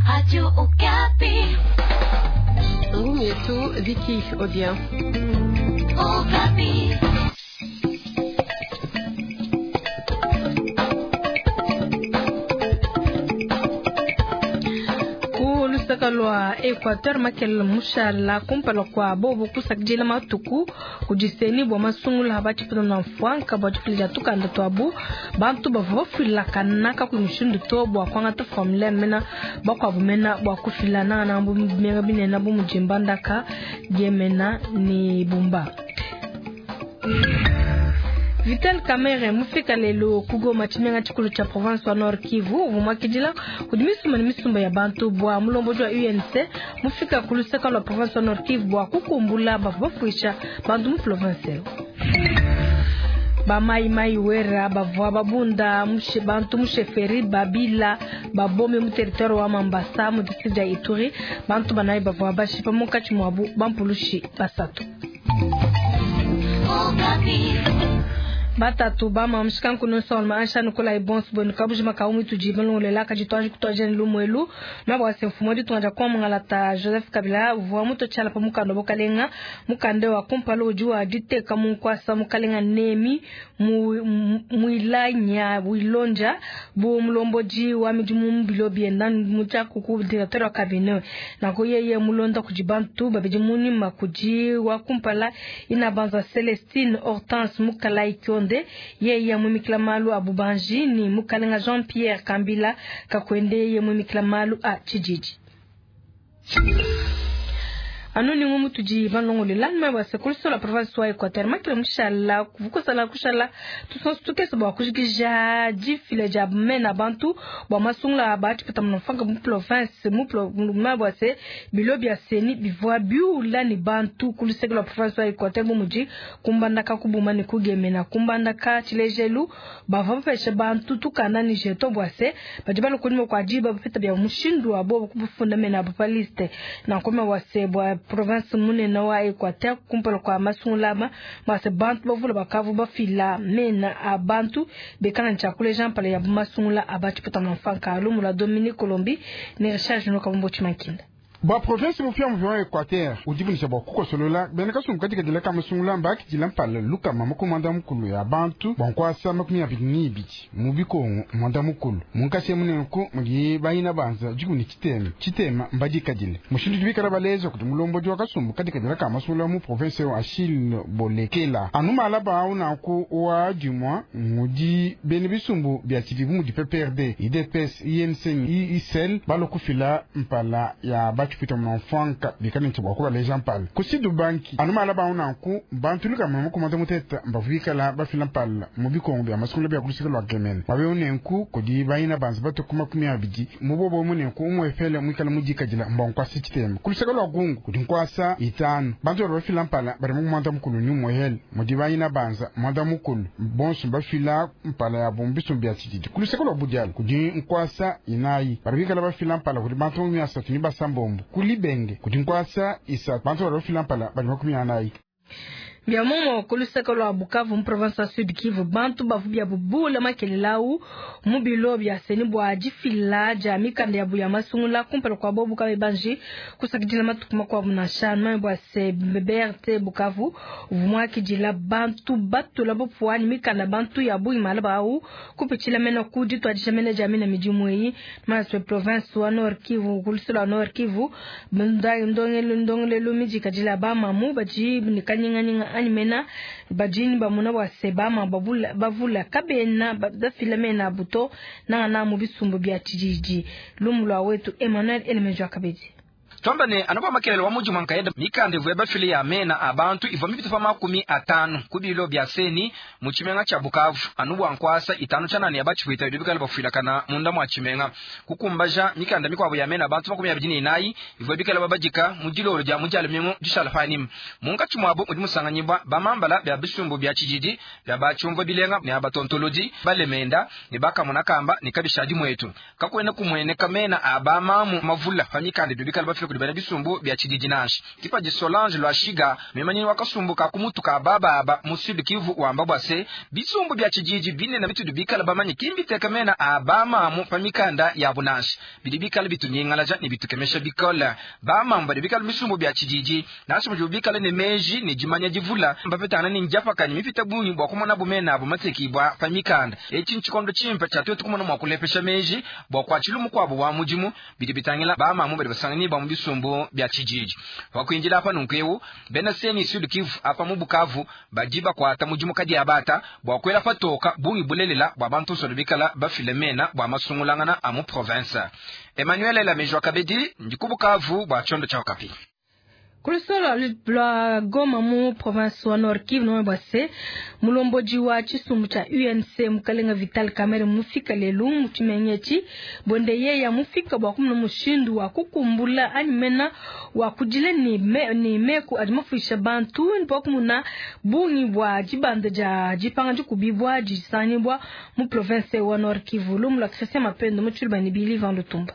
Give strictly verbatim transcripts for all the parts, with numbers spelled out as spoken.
Radio Okapi. Ngumu yetu Vicky Odia. Okapi. Ku lwa Equateur Makel mushala kumpala kwa bobo kusakidila matuku kudiseni bwa masungula bachipita na mfwanka bwa difila tukanda twabu bantu bavua bafilakana kakuyi mushindu to bwa kwangata formulaire mena bakwabu mena bwa kufilana na mbu bimenga binene bu mudi Mbandaka Gemena ni Bumba. Vital Kamerhe mufika lelo ku Goma tshimenga tshikulu tshia province wa Nord Kivu uvua muakidila kudi misumba ne misumba ya bantu bua mulombodi wa U N C mufika ku luseka lua province wa Nord Kivu bua kukumbula bavua bafuisha bantu mu province eu. Ba mai mai wera bavua babunda mushe bantu musheferi babila babome mu territoire wa Mambasa mu district ya Ituri bantu banayi bavua bashipa munkatshi muabu bampulushi basatu. Batatu bama mshikanku nonso ansha nukola ibonso bwenu kabujima kaumi tujiba longolela kajitwaji kutwaje lumwelu mabwa semfumo ditunga kwa mungalata Joseph Kabila uvua muto chala pa mukando bokalenga mukande wa kumpalo uji wa diteka munkwasa mukalenga nemi muilanya wilonja bu mulomboji wa midimu mbilo bienda mutya kuku directeur wa cabinet nako yeye mulonda kujibantu babidi munima kuji wa kumpala inabanza Celestine Hortense Mukalai Kionde yeye mwimikila malu a Bubanji ni mukalenga Jean-Pierre Kambila kakwende yeye mwimikila malu a Chijiji. Anoni ngumu tuji banlongole lanma wa sekuluso la province wa Equateur makile mushala kuvukosala kushala tusonso tukese bwa kujikija jifile ja mena bantu bwa masungula ba chipata mnofanga mu province mu mabwa se bilo bya seni bivwa biula ni bantu kuluseke la province wa Equateur mu muji kumbandaka kubuma ni kugemena kumbandaka chilejelu bava bapesha bantu tukana ni jeto bwa se bajibalo kunimo kwa jiba bapeta bya mushindu wa bo kubufunda mena ba liste na koma wa se bwa province munene wa Equateur kumpala kwa masungulama mase bantu bavula bakavu bafila mena abantu bekana nchakule Jean Paul ya masungula abachipota mfanka alumula Dominique Colombi ni recharge no kabombo chimakinda. Ba province mufia muvya wa Equateur udibunisha bwa kukosolola bena kasumbu katika dila ka masungula mbaki dila mpala luka mama kumanda mukulu ya bantu bankwasa makumi abili ni ibili mu bikongo mwanda mukulu munkasi munenku muli bayina banza jikuni chitema chitema mbadikadile mushindu dibikala balezo kuti mulomboji wa kasumbu katika dila ka masungula mu province wa Achille Bolekela anumala bawu naku wa dimwa mudi bene bisumbu bya chidibu mudi P P R D I D P S I N C I S L balokufila mpala ya bachipita mnamfanka bikane ntibwa kuba leja mpala kusidu banki anuma ala bauna ku bantu luka mama kumata muteta mbavika bafila mpala mu bikongo bya masukula bya kulusika lwa gemene babe unenku kudi bayina banza bato kuma kumi abidi mubobo munenku umwefele mwikala mujikajila mbankwasa chitema kulusika lwa gungu kudi nkwasa itano bantu bari bafila mpala bari mukumata mukulu ni umwehele mudi bayina banza mwanda mukulu bonso bafila mpala ya bombiso bya chididi kulusika lwa budyala kudi nkwasa inayi bari bikala bafila mpala kudi bantu mu myasatu ni basambombo kulibenge kuti nkwasa isa bantu bari bafila mpala bari makumi anayi. Bia momo kuluseka lwa Bukavu mu province ya Sud Kivu bantu bavu bya bubula makelelawu mu bilo bya seni bwa jifila ja mikanda ya buya masungula kumpala kwa bobu kabe banji kusakidila matuku makwabu na shanu bwa se B R T Bukavu vumwa kijila bantu batula bopwani mikanda bantu ya buyi malabawu kupichila mena kudi twadisha mena jamii na mijimu yi maswe province wa Nord Kivu kulusela Nord Kivu ndongelo ndongelo mijikadila ba mamu baji nikanyinga nyinga mena bajini bamuna wa sebama babula bavula kabena bafila mena buto na na mu bisumbu bya chijiji lumulwa wetu Emmanuel Elemejo akabedi Twamba ne anoba makelele wa muji mwankaeda mikande vuya bafile ya mena abantu ivo mipito pa makumi atano kubilo bya seni mu chimenga cha Bukavu anubu ankwasa itano chanani yabachifuita ibikala bafilakana munda mwa chimenga kukumbaja mikanda mikwabo ya mena abantu makumi abiri n'inayi ivo bikala babajika mu diloro ja mujalo mingo dishalafani munka chumwabo mudi musanganyibwa bamambala bya bisumbu bya chijiji bya bachumvo bilenga ne abatontoloji balemenda ne bakamona kamba ne kabishadi mwetu kakwena kumwene kamena abamamu mavula pa mikande bikala bafile kudi bena bisumbu bia tshididi nansha. Kipadi Solange Lwashiga mimanyinyi wa kasumbu ka kumutu ka bababa mu Sud Kivu wamba bwa se bisumbu bia tshididi binene bitudi bikala bamanye kimbiteka mena a bamamu pa mikanda ya bunansha bidi bikala bitunyingalaja ne bitukemesha bikole. Bamamu badi bikala bisumbu bia tshididi nansha mudi bikala ne meji ne dimanya divula mbapetana ne njapakanya mipita bungi bwa kumona bumena abo matekibwa pa mikanda. Etshi ntshikondo tshimpe tshia twetu kumona mua kulepesha meji bwa kuatshila mukuabo wa mudimu bidi bitangila bamamu badi basangani ba mu bisumbu bia tshididi. Wakuinjila apa nunku bena seni Sud Kivu apa mu Bukavu badi bakwata mudimu kadi abata bwa kwela patoka bungi bulelela bwa bantu solo bikala bafile mena bwa masungulangana a mu province. Emmanuel Lamejwa Kabedi ndi ku Bukavu bwa chondo cha Okapi. Kulusolo lwa Goma mu province wa Nord Kivu no bwase mulomboji wa chisumbu cha U N C mukalenga Vital Kamerhe mufika lelu mu chimenyechi bonde ye ya mufika bwa kumuna mushindu wa kukumbula animena wa kujile ni me, ni meku adimafisha bantu ndipo kumuna bungi bwa jibanda ja jipanga jikubibwa jisanyibwa mu province wa Nord Kivu. Lumula Christian Mapendo mu chulba ni Billy Van Lutumba.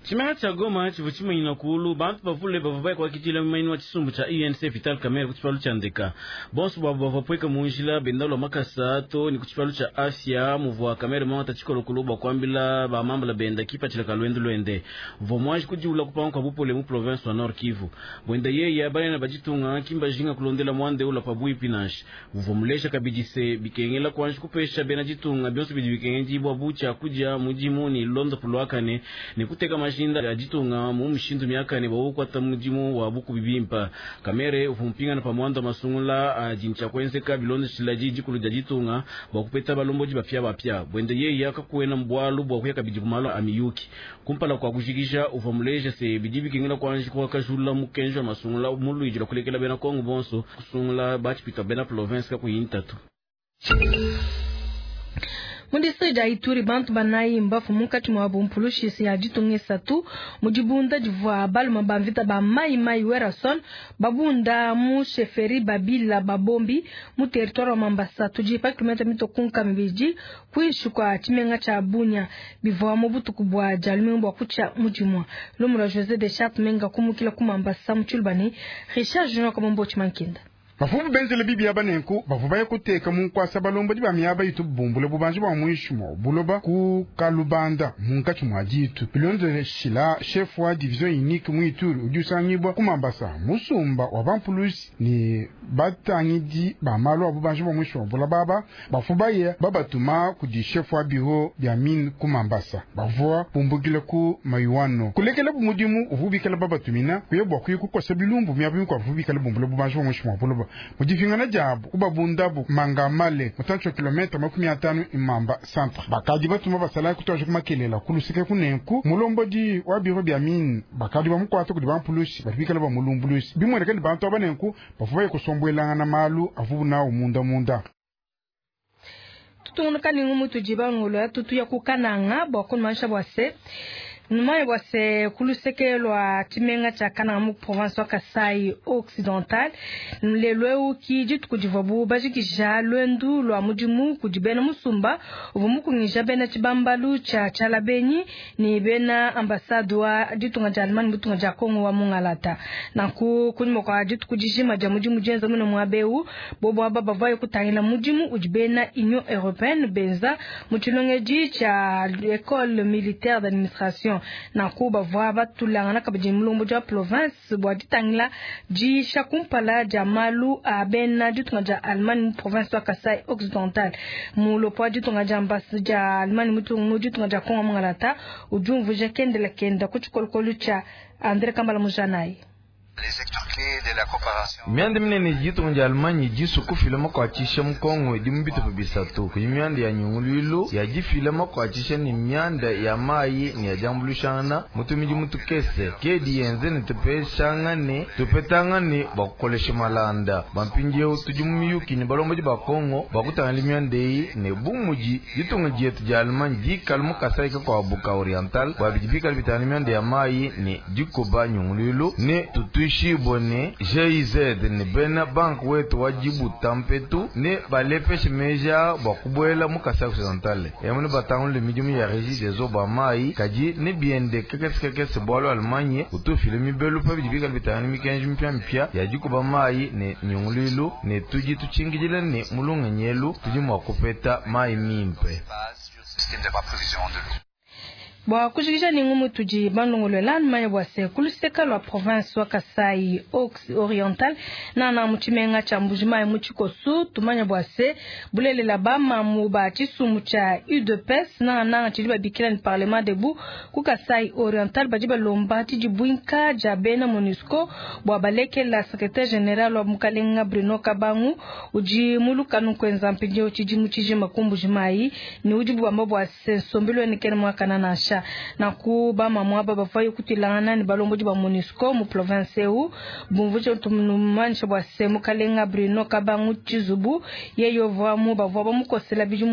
Chimanga cha Goma chivu chimanyina kulu bantu bavule bava kwa kitila mmanyi wa chisumbu cha U N C Vital Kamerhe kuchipalu cha ndeka bonso babo bava pweka munjila bendalo makasa to ni kuchipalu cha afya muvwa Kamerhe mwa tachikolo kulu kwambila ba mambala benda kipa chila kalwendo lwende vomwaji kujiula kupanga kwa bupole mu province wa Nord Kivu bwenda yeye bale na bajitunga kimba jinga kulondela mwande ula pabui pinash vomulesha kabidise bikengela kwanji kupesha bena jitunga byonso bidi bikengeji bwa bucha kuja mujimu ni londo pulwakane ni kuteka mashinda ya jitunga mu mshindu miaka ne bawo kwata mujimu wa buku bibimpa Kamerhe ufumpinga na pamwando masungula ajincha kwenzeka bilondo shilaji jikulu ja jitunga bakupeta balomboji bapya bapya bwende yeye akakuena mbwalu bwa kuyaka bijikumalo amiyuki kumpala kwa kushikisha ufamuleja se bidibi kingela kwanji kwa kajula mukenjo masungula muluiji la kulekela bena Kongo bonso kusungula bachipita bena province ka kuyintatu. Mu district ya Ituri bantu banayi mbafu munkatshi mua bumpulushi ya ditunga esatu mu dibunda divua baluma ba mvita ba mai mai Werason babunda mu sheferi babila babombi mu territoire wa Mambasa tudi pa kilomita mitokunka mibidi kuinshi kua tshimenga tshia Bunia bivua mu butuku bua dia lumingu bua kutshia mudimua. Lumu lua José de Charte menga kumukila ku Mambasa mu Tshilubane Richard Junior Kabombo Tshimankinda. Bafumu benzele bibi ya banenku bavu baye kuteka mu nkwasa balomba di bamyaba itu bumbule bubanji bwa mwishi mwa buloba ku kalubanda munkatshi mwa ditu bilonze shila chef wa division unique mu Ituri udi usangibwa ku Mambasa musumba wa bampulusi ni batangidi ba malu a bubanji bwa mwishi mwa buloba baba bafu baye babatuma kudi chef wa bureau bya mine ku Mambasa bavua bumbukile ku mayuano kulekela bumudimu uvubikela babatumina kuyebwa kuyikukosa bilumbu myaba mikwa vubikela bumbule bubanji bwa mwishi mwa buloba mudifingana jabo kubabundabu mangamale mutancho kilomita makumi atano imamba centre bakadi batuma basala kutoja kumakelela kulusike kunenku mulombodi wa biro bya mine bakadi bamukwata kudi bampulusi batibikala bamulumbulusi bimweleka ni bantu abanenku bafubaye kusombwelanga na malu avubu nawo munda munda. Tutungunuka ni ngumu tujiba ngolo ya tutu ya kukananga bwa kumansha bwa se Numaye bwa se kuluseke lwa tshimenga tshia Kananga mu province wa Kasai Occidental lelo eu ki dituku divuabu bajikija lwendu lwa mudimu kudi bena musumba uvua mukungija bena tshibambalu tshia Tshialabenyi ni bena ambassade wa ditunga dia Allemagne mu ditunga dia Congo wa Mungalata. Nanku kunyima kua dituku dijima dia mudimu dienza mune muaba eu bobo aba bavua kutangila mudimu udi bena Union Européenne benza mu tshilongedi tshia École militaire d'administration. Nanku bavua batulangana kabidi mulombo dia province bua ditangila diisha kumpala dia malu a bena ditunga dia Allemagne mu province wa Kasai Occidental. Mulopo wa ditunga dia ambas- dia Allemagne mu ditunga dia Congo Mungalata udi umvuija kendela kenda ku tshikolokolo tshia André Kambala Mujanayi. Mianda minene ditunga dia Allemagne disu kufila makuatshisha mu Kongo idi mu bitupa bisatu kudi mianda ya nyunguluilu ya difila makuatshisha ni mianda ya mayi ni ya diambuluishangana mutumidi mutukese kedi yenze ne tupeshangane tupetangane bakukolesha malanda bampindieu tudi mu miyuki ni balombodi ba Kongo bakutangila mianda eyi ne bumudi ditunga dietu dia Allemagne dikala mu Kasai kakuabu ka Oriental bua bidi bikala bitangila mianda ya mayi ne dikuba nyunguluilu ne tutu Tuishibwe ne G I Z ne bena bank wetu wa jibuta mpetu ne balepeshe meja bwa kubwela mu Kasai Occidental. Emune batangule midimu ya Régie des eaux ba mai kaji ne biende kekese kekese bwalo Allemagne utufile mibelu pa bidi bikala bitangana mikenji mpya mpya ya jikuba mai ne nyungulilu ne tuji tuchingidile ne mulunga nyelu tuji mwa kupeta mai mimpe. Bwa kujikija ni ngumu tuji balongolola manya bwa se kuluseka lwa province wa Kasai Oriental na na muchimenga cha Mbujimayi mu Tshikosu tumanya bwa se bulelela ba mamu ba tshisumu tsha U D P S na na tshidi babikila ni Parlement debout ku Kasai Oriental badi balomba tshidi bwinka ja bena MONUSCO bwa balekela secrétaire général wa mukalenga Bruno Kabangu uji mulukanu kwenza mpindio tshidi mutshijima ku Mbujimayi ni udi bwamba bwa se nsombelo ni kene mwakana na na kuba mamwa baba fayo kutilana ni balombo ba MONUSCO mu province eu bumvuje tummanisha bwa se mukalenga Bruno Kabangu Tshizubu yeyo vamu bavwa bamukosela biju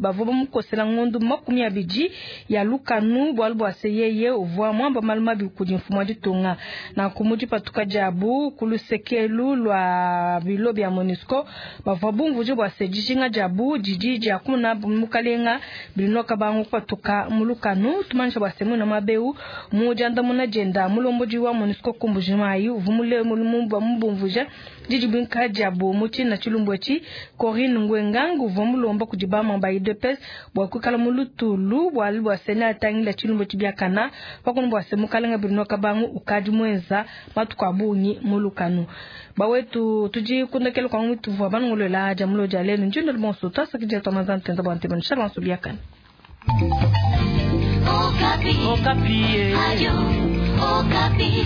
bavwa bamukosela ngondu makumi abidi ya lukanu bwalu bwa se yeye uvwa mwamba maluma bikudi mfumo ditunga na kumuji patuka jabu kulusekelu lwa bilo bya MONUSCO bavwa bumvuje bwa se dijinga jabu didi ja kuna mukalenga Bruno Kabangu patuka mulukanu tumanisha bwa semu na mabeu mujanda muna jenda mulomboji wa MONUSCO ku Mbujimayi uvumule mulumba mubumvuja didi bwinka jabu muchi na chilumbwechi Corinne Ngwengangu vumulomba kujibama ba U D P S bwa kukala mulutulu bwa bwa sena tangila chilumbwechi byakana pakuno bwa semu kalenga Bruno Kabangu ukadi mwenza matuka bunyi mulukanu bawetu tuji kundakelo kwa mwitu vwa banongolola jamulo jalenu njindo bonso tasakija tamazante nzabante banshalanso byakana. Okapi. Okapi. Ayo, Okapi.